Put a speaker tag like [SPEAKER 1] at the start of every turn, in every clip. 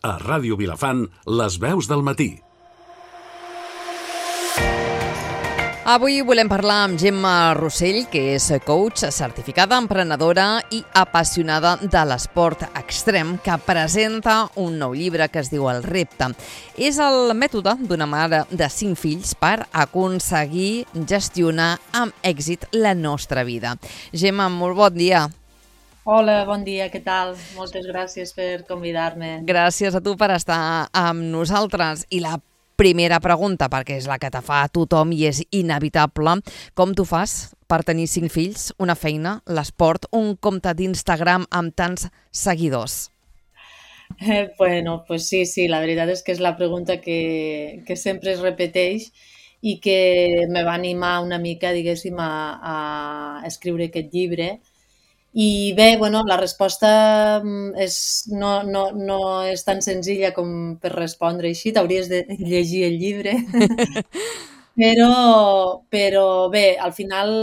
[SPEAKER 1] A Ràdio Vilafant, les veus del matí.
[SPEAKER 2] Avui volem parlar amb Gemma Rossell, que és coach, certificada emprenedora i apassionada de l'esport extrem, que presenta un nou llibre que es diu El repte. És el mètode d'una mare de 5 fills per aconseguir gestionar amb èxit la nostra vida. Gemma, molt bon dia.
[SPEAKER 3] Hola, bon dia, què tal? Moltes gràcies per convidar-me.
[SPEAKER 2] Gràcies a tu per estar amb nosaltres. I la primera pregunta, perquè és la que te fa a tothom i és inevitable, com tu fas per tenir 5 fills, una feina, l'esport, un compte d'Instagram amb tants seguidors?
[SPEAKER 3] Bueno, pues sí, la veritat és que és la pregunta que sempre es repeteix i que me va animar una mica, diguéssim, a escriure aquest llibre. I bé, bueno, la resposta no és tan senzilla com per respondre així, t'hauries de llegir el llibre. Però bé, al final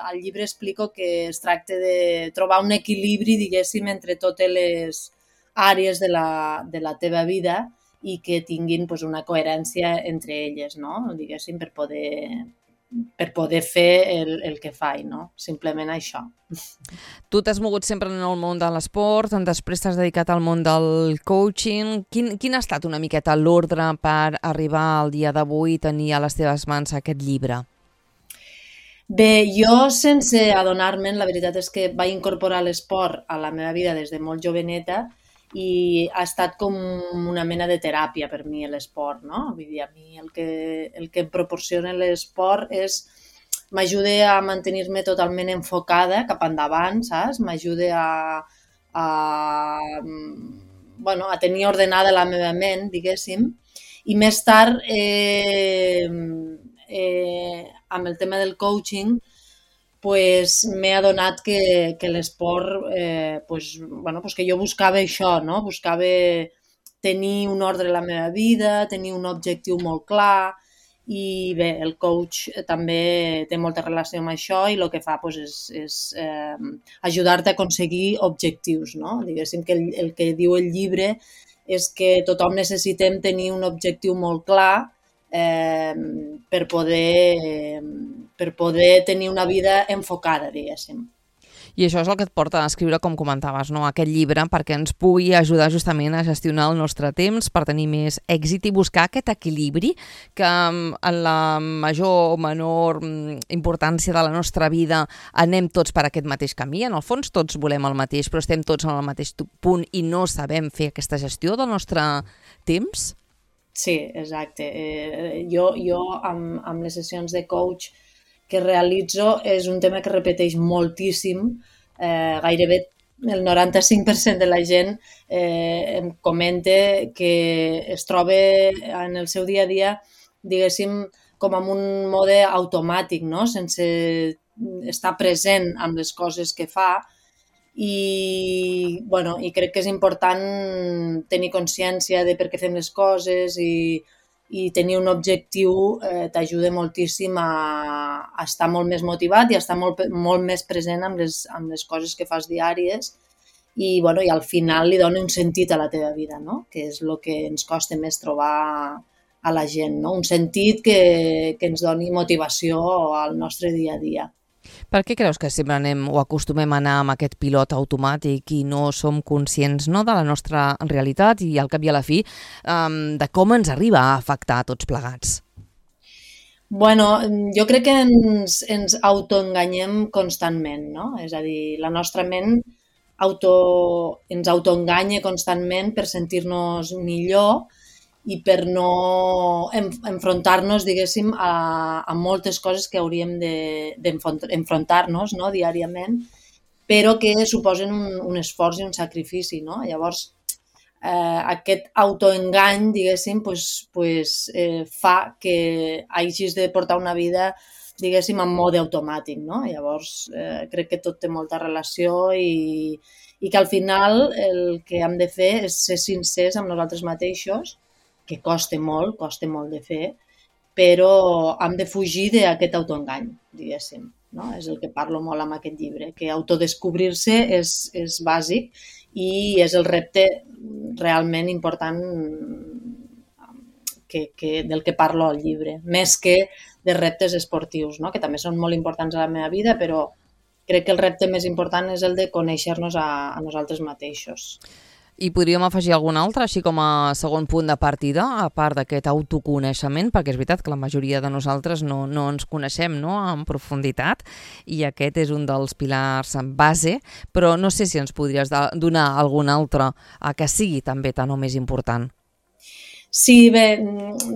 [SPEAKER 3] al llibre explico que es tracta de trobar un equilibri, diguéssim, entre totes les àrees de la teva vida i que tinguin pues, una coherència entre elles, no? Diguéssim, per poder fer el que faig, no? Simplement això.
[SPEAKER 2] Tu t'has mogut sempre en el món de l'esport, després t'has dedicat al món del coaching. Quin ha estat una miqueta l'ordre per arribar al dia d'avui i tenir a les teves mans aquest llibre?
[SPEAKER 3] Bé, jo sense adonar-me'n, la veritat és que vaig incorporar l'esport a la meva vida des de molt joveneta i ha estat com una mena de teràpia per mi l'esport, no? Vull dir, a mi el que em proporciona l'esport m'ajuda a mantenir-me totalment enfocada cap endavant, saps? M'ajuda a tenir ordenada la meva ment, diguéssim, i més tard, amb el tema del coaching, pues m'he adonat que l'esport, que jo buscava això, no? Buscava tenir un ordre a la meva vida, tenir un objectiu molt clar i bé, el coach també té molta relació amb això i el que fa és ajudar-te a aconseguir objectius, no? Diguéssim que el que diu el llibre és que tothom necessitem tenir un objectiu molt clar per poder tenir una vida enfocada, diguéssim.
[SPEAKER 2] I això és el que et porta a escriure, com comentaves, no? Aquest llibre, perquè ens pugui ajudar justament a gestionar el nostre temps per tenir més èxit i buscar aquest equilibri que en la major o menor importància de la nostra vida anem tots per aquest mateix camí. En el fons tots volem el mateix, però estem tots en el mateix punt i no sabem fer aquesta gestió del nostre temps.
[SPEAKER 3] Sí, exacte. Jo amb les sessions de coach que realitzo és un tema que repeteix moltíssim. Gairebé el 95% de la gent em comenta que es troba en el seu dia a dia, diguéssim, com en un mode automàtic, no? Sense estar present amb les coses que fa. I crec que és important tenir consciència de per què fem les coses i tenir un objectiu t'ajuda moltíssim a estar molt més motivat i a estar molt més present amb les coses que fas diàries i al final li dona un sentit a la teva vida, no? Que és el que ens costa més trobar a la gent, no? Un sentit que ens doni motivació al nostre dia a dia.
[SPEAKER 2] Per què creus que sempre anem o acostumem a anar amb aquest pilot automàtic i no som conscients, no, de la nostra realitat i al cap i a la fi de com ens arriba a afectar a tots plegats?
[SPEAKER 3] Bueno, jo crec que ens autoenganyem constantment, no? És a dir, la nostra ment ens autoenganya constantment per sentir-nos millor i per no enfrontar-nos, diguéssim, a moltes coses que hauríem d'enfrontar-nos, no, diàriament, però que suposen un esforç i un sacrifici, no? Llavors, aquest autoengany, diguéssim, fa que hagis de portar una vida, diguéssim, en mode automàtic, no? Llavors, crec que tot té molta relació i que al final el que hem de fer és ser sincers amb nosaltres mateixos, que costa molt de fer, però hem de fugir d'aquest autoengany, diguéssim. No? És el que parlo molt amb aquest llibre, que autodescobrir-se és bàsic i és el repte realment important del que parlo al llibre, més que de reptes esportius, no? Que també són molt importants a la meva vida, però crec que el repte més important és el de conèixer-nos a nosaltres mateixos.
[SPEAKER 2] I podríem afegir algun altre, així com a segon punt de partida, a part d'aquest autoconeixement, perquè és veritat que la majoria de nosaltres no ens coneixem, no?, en profunditat, i aquest és un dels pilars en base, però no sé si ens podries donar algun altre que sigui també tan o més important.
[SPEAKER 3] Sí, bé,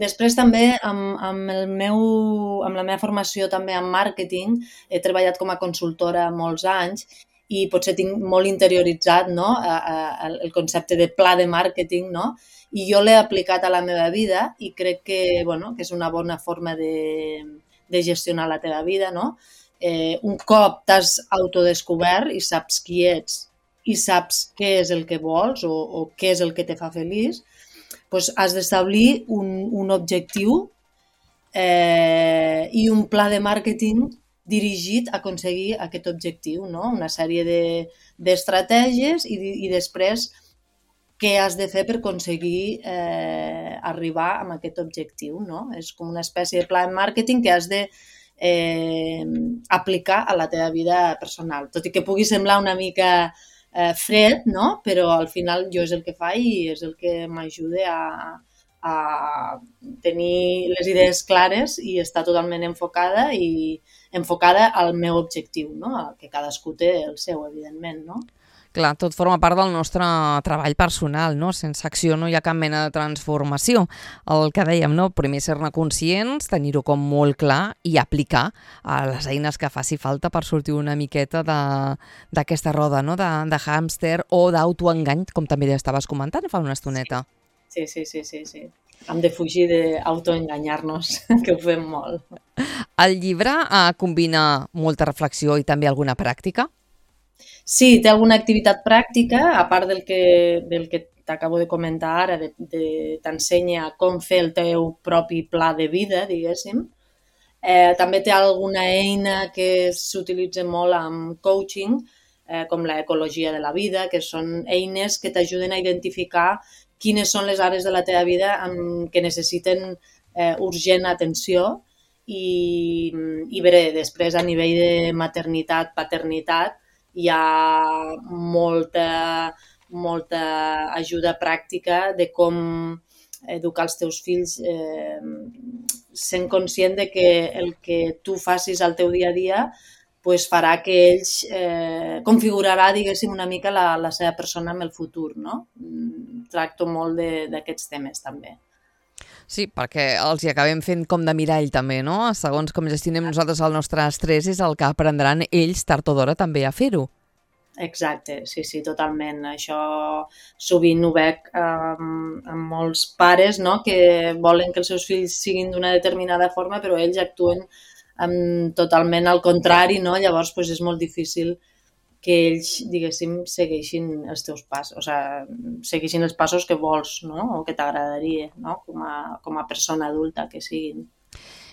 [SPEAKER 3] després també amb la meva formació també en màrqueting he treballat com a consultora molts anys i potser tinc molt interioritzat, no?, el concepte de pla de màrqueting, no? I jo l'he aplicat a la meva vida i crec que, bueno, que és una bona forma de gestionar la teva vida, no? Un cop t'has autodescobert i saps qui ets i saps què és el que vols o què és el que te fa feliç, doncs has d'establir un objectiu i un pla de màrqueting dirigit a aconseguir aquest objectiu, no? Una sèrie d'estratègies i després què has de fer per aconseguir arribar a aquest objectiu, no? És com una espècie de pla de màrqueting que has de aplicar a la teva vida personal. Tot i que pugui semblar una mica fred, no? Però al final jo és el que faig i és el que m'ajuda a tenir les idees clares i estar totalment enfocada al meu objectiu, no? Que cadascú té el seu, evidentment, no?
[SPEAKER 2] Clar, tot forma part del nostre treball personal, no? Sense acció no hi ha cap mena de transformació. El que dèiem, no? Primer ser-ne conscients, tenir-ho com molt clar i aplicar a les eines que faci falta per sortir una miqueta d'aquesta roda, no? De hàmster o d'autoengany, com també ja estaves comentant fa una estoneta.
[SPEAKER 3] Sí. Hem de fugir d'autoenganyar-nos, que ho fem molt.
[SPEAKER 2] El llibre combina molta reflexió i també alguna pràctica?
[SPEAKER 3] Sí, té alguna activitat pràctica, a part del que t'acabo de comentar ara, t'ensenya com fer el teu propi pla de vida, diguéssim. També té alguna eina que s'utilitza molt amb coaching, com l'ecologia de la vida, que són eines que t'ajuden a identificar quines són les àrees de la teva vida que necessiten urgent atenció i bé, després a nivell de maternitat, paternitat, hi ha molta ajuda pràctica de com educar els teus fills sent conscient de que el que tu facis al teu dia a dia pues farà que ells configurarà, diguéssim, una mica la seva persona en el futur, no? Tracto molt d'aquests temes també.
[SPEAKER 2] Sí, perquè els hi acabem fent com de mirall també, no? Segons com gestionem nosaltres el nostre estrès és el que aprendran ells tard o d'hora també a fer-ho.
[SPEAKER 3] Exacte, sí, totalment. Això sovint ho veig amb molts pares, no?, que volen que els seus fills siguin d'una determinada forma, però ells actuen totalment al contrari, no? Llavors doncs, és molt difícil que ells, diguéssim, segueixin els teus passos, o sigui, segueixin els passos que vols, no?, o que t'agradaria, no?, com a persona adulta que siguin.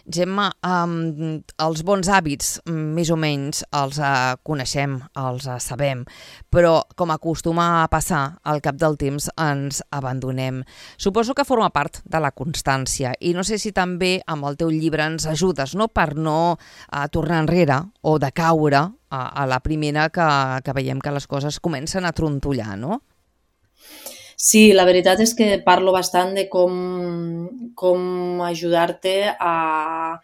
[SPEAKER 2] Gemma, els bons hàbits més o menys els coneixem, els sabem, però com acostuma a passar, al cap del temps ens abandonem. Suposo que forma part de la constància i no sé si també amb el teu llibre ens ajudes, no?, per no tornar enrere o de caure a la primera que veiem que les coses comencen a trontollar, no?
[SPEAKER 3] Sí, la veritat és que parlo bastant de com ajudar-te a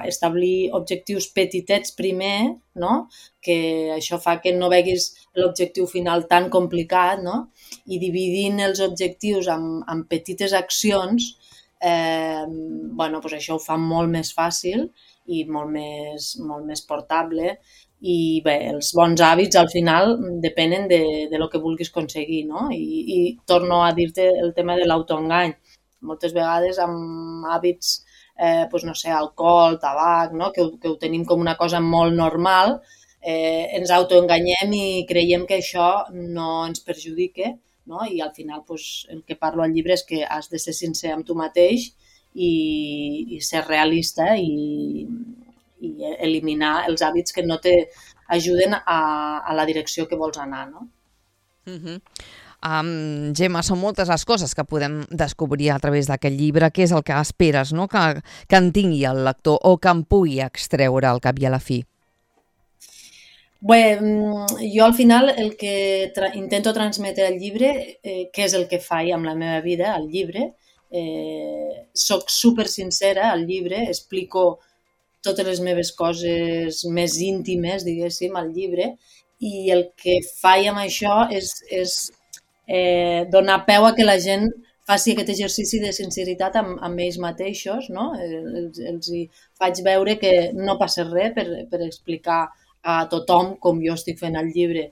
[SPEAKER 3] establir objectius petitets primer, no? Que això fa que no veguis l'objectiu final tan complicat, no? I dividint els objectius en petites accions, bueno, doncs això ho fa molt més fàcil i molt més portable. I bé, els bons hàbits al final depenen de lo que vulguis aconseguir, no? I torno a dir-te el tema de l'autoengany. Moltes vegades amb hàbits, doncs no sé, alcohol, tabac, no?, que ho tenim com una cosa molt normal, ens autoenganyem i creiem que això no ens perjudica, no? I al final doncs, el que parlo al llibre és que has de ser sincer amb tu mateix i ser realista i eliminar els hàbits que no t'ajuden a la direcció que vols anar, no?
[SPEAKER 2] Gemma, són moltes les coses que podem descobrir a través d'aquest llibre. Què és el que esperes, no? Que en tingui el lector o que en pugui extreure al cap i a la fi?
[SPEAKER 3] Bé, jo al final el que intento transmetre al llibre, què és el que faig amb la meva vida, al llibre, soc super sincera al llibre, explico totes les meves coses més íntimes, diguéssim, al llibre, i el que faig amb això és donar peu a que la gent faci aquest exercici de sinceritat amb ells mateixos, no? Els faig veure que no passa res per explicar a tothom, com jo estic fent al llibre,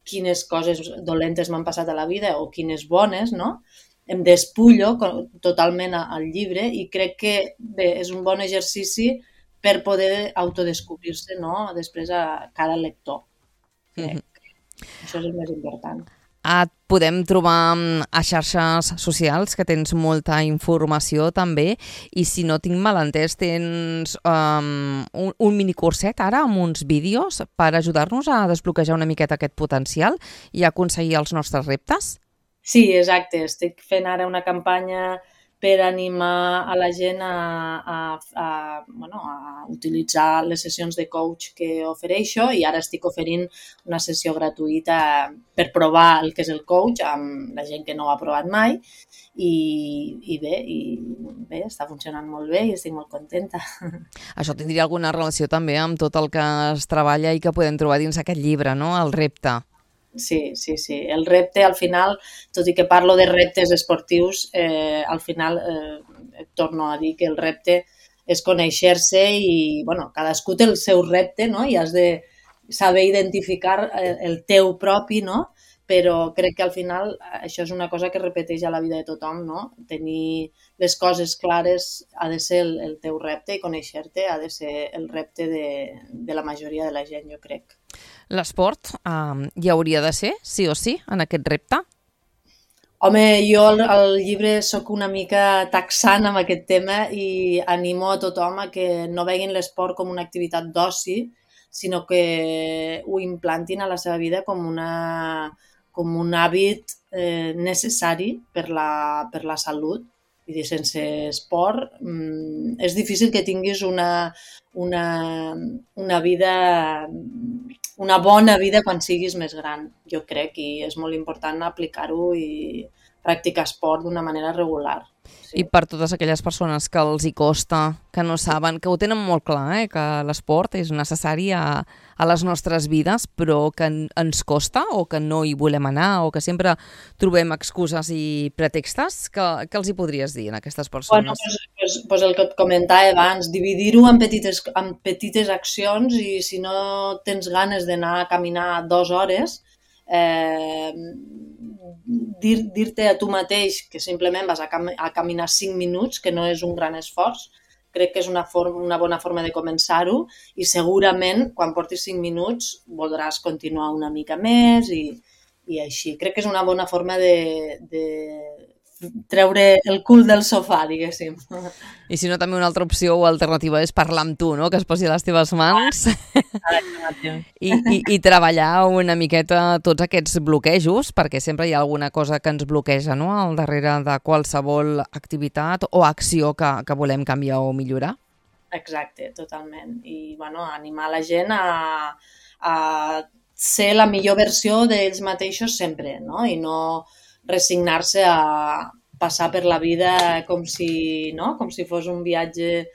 [SPEAKER 3] quines coses dolentes m'han passat a la vida o quines bones, no? Em despullo totalment al llibre i crec que bé, és un bon exercici per poder autodescobrir-se, no? Després a cada lector. Crec. Això és el més important.
[SPEAKER 2] Et podem trobar a xarxes socials, que tens molta informació també, i si no tinc mal entès, tens un minicurset ara amb uns vídeos per ajudar-nos a desbloquejar una miqueta aquest potencial i aconseguir els nostres reptes?
[SPEAKER 3] Sí, exacte. Estic fent ara una campanya per animar a la gent a utilitzar les sessions de coach que ofereixo i ara estic oferint una sessió gratuïta per provar el que és el coach amb la gent que no ho ha provat mai i bé, està funcionant molt bé i estic molt contenta.
[SPEAKER 2] Això tindria alguna relació també amb tot el que es treballa i que podem trobar dins aquest llibre, no? El repte.
[SPEAKER 3] Sí. El repte, al final, tot i que parlo de reptes esportius, al final torno a dir que el repte és conèixer-se i, cadascú té el seu repte, no? I has de saber identificar el teu propi, no? Però crec que al final això és una cosa que repeteix a la vida de tothom, no? Tenir les coses clares ha de ser el teu repte i conèixer-te ha de ser el repte de la majoria de la gent, jo crec.
[SPEAKER 2] L'esport hi hauria de ser, sí o sí, en aquest repte?
[SPEAKER 3] Home, jo al llibre sóc una mica taxant amb aquest tema i animo a tothom a que no veguin l'esport com una activitat d'oci, sinó que ho implantin a la seva vida com un hàbit necessari per la salut. Vull dir, sense esport és difícil que tinguis una vida, una bona vida quan siguis més gran, jo crec, i és molt important aplicar-ho i practicar esport d'una manera regular. Sí.
[SPEAKER 2] I per totes aquelles persones que els hi costa, que no saben, que ho tenen molt clar, que l'esport és necessari a les nostres vides, però que ens costa o que no hi volem anar o que sempre trobem excuses i pretextes, què els hi podries dir a aquestes persones?
[SPEAKER 3] Pues el que et comentava abans, dividir-ho en petites accions i si no tens ganes d'anar a caminar 2 hores, dir-te a tu mateix que simplement vas a caminar 5 minuts, que no és un gran esforç, crec que és una bona forma de començar-ho i segurament quan portis 5 minuts voldràs continuar una mica més i així. Crec que és una bona forma de treure el cul del sofà, diguéssim.
[SPEAKER 2] I si no, també una altra opció o alternativa és parlar amb tu, no? Que es posi a les teves mans i treballar una miqueta tots aquests bloquejos, perquè sempre hi ha alguna cosa que ens bloqueja, no? Al darrere de qualsevol activitat o acció que volem canviar o millorar.
[SPEAKER 3] Exacte, totalment. I animar la gent a ser la millor versió d'ells mateixos sempre, no? I no resignar-se a passar per la vida com si fos un viatge,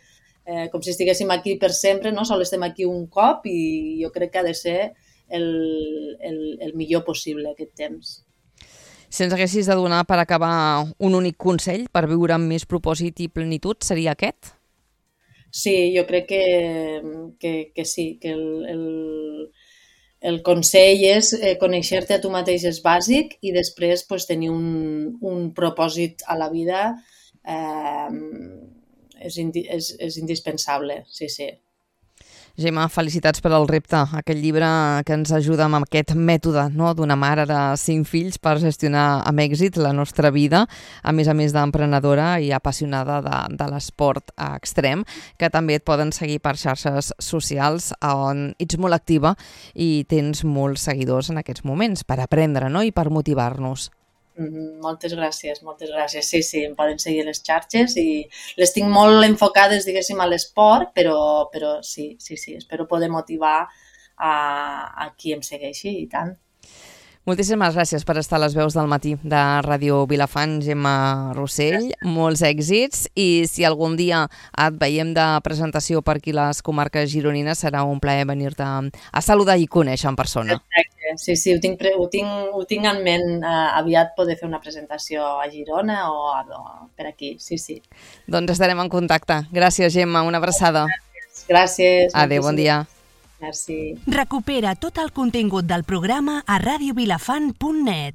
[SPEAKER 3] com si estiguéssim aquí per sempre, no? Sol estem aquí un cop i jo crec que ha de ser el millor possible aquest temps.
[SPEAKER 2] Si ens haguessis de donar per acabar un únic consell per viure amb més propòsit i plenitud, seria aquest?
[SPEAKER 3] Sí, jo crec que sí, que el consell és conèixer-te a tu mateix és bàsic i després tenir un propòsit a la vida és indispensable, sí.
[SPEAKER 2] Gemma, felicitats per al repte, aquest llibre que ens ajuda amb aquest mètode, no?, d'una mare de 5 fills per gestionar amb èxit la nostra vida, a més d'emprenedora i apassionada de l'esport extrem, que també et poden seguir per xarxes socials on ets molt activa i tens molts seguidors en aquests moments per aprendre, no?, i per motivar-nos.
[SPEAKER 3] Moltes gràcies, moltes gràcies. Sí, em poden seguir a les xarxes i les tinc molt enfocades, diguéssim, a l'esport, però sí, espero poder motivar a qui em segueixi i tant.
[SPEAKER 2] Moltíssimes gràcies per estar a les veus del matí de Ràdio Vilafant, Gemma Rossell. Molts èxits i si algun dia et veiem de presentació per aquí les comarques gironines serà un plaer venir-te a saludar i conèixer en persona.
[SPEAKER 3] Exacte. Sí, ho tinc en ment aviat poder fer una presentació a Girona o per aquí, sí.
[SPEAKER 2] Doncs estarem en contacte. Gràcies, Gemma, una abraçada.
[SPEAKER 3] Gràcies.
[SPEAKER 2] Adéu, bon dia.
[SPEAKER 3] Merci.
[SPEAKER 4] Recupera tot el contingut del programa a radiovilafant.net.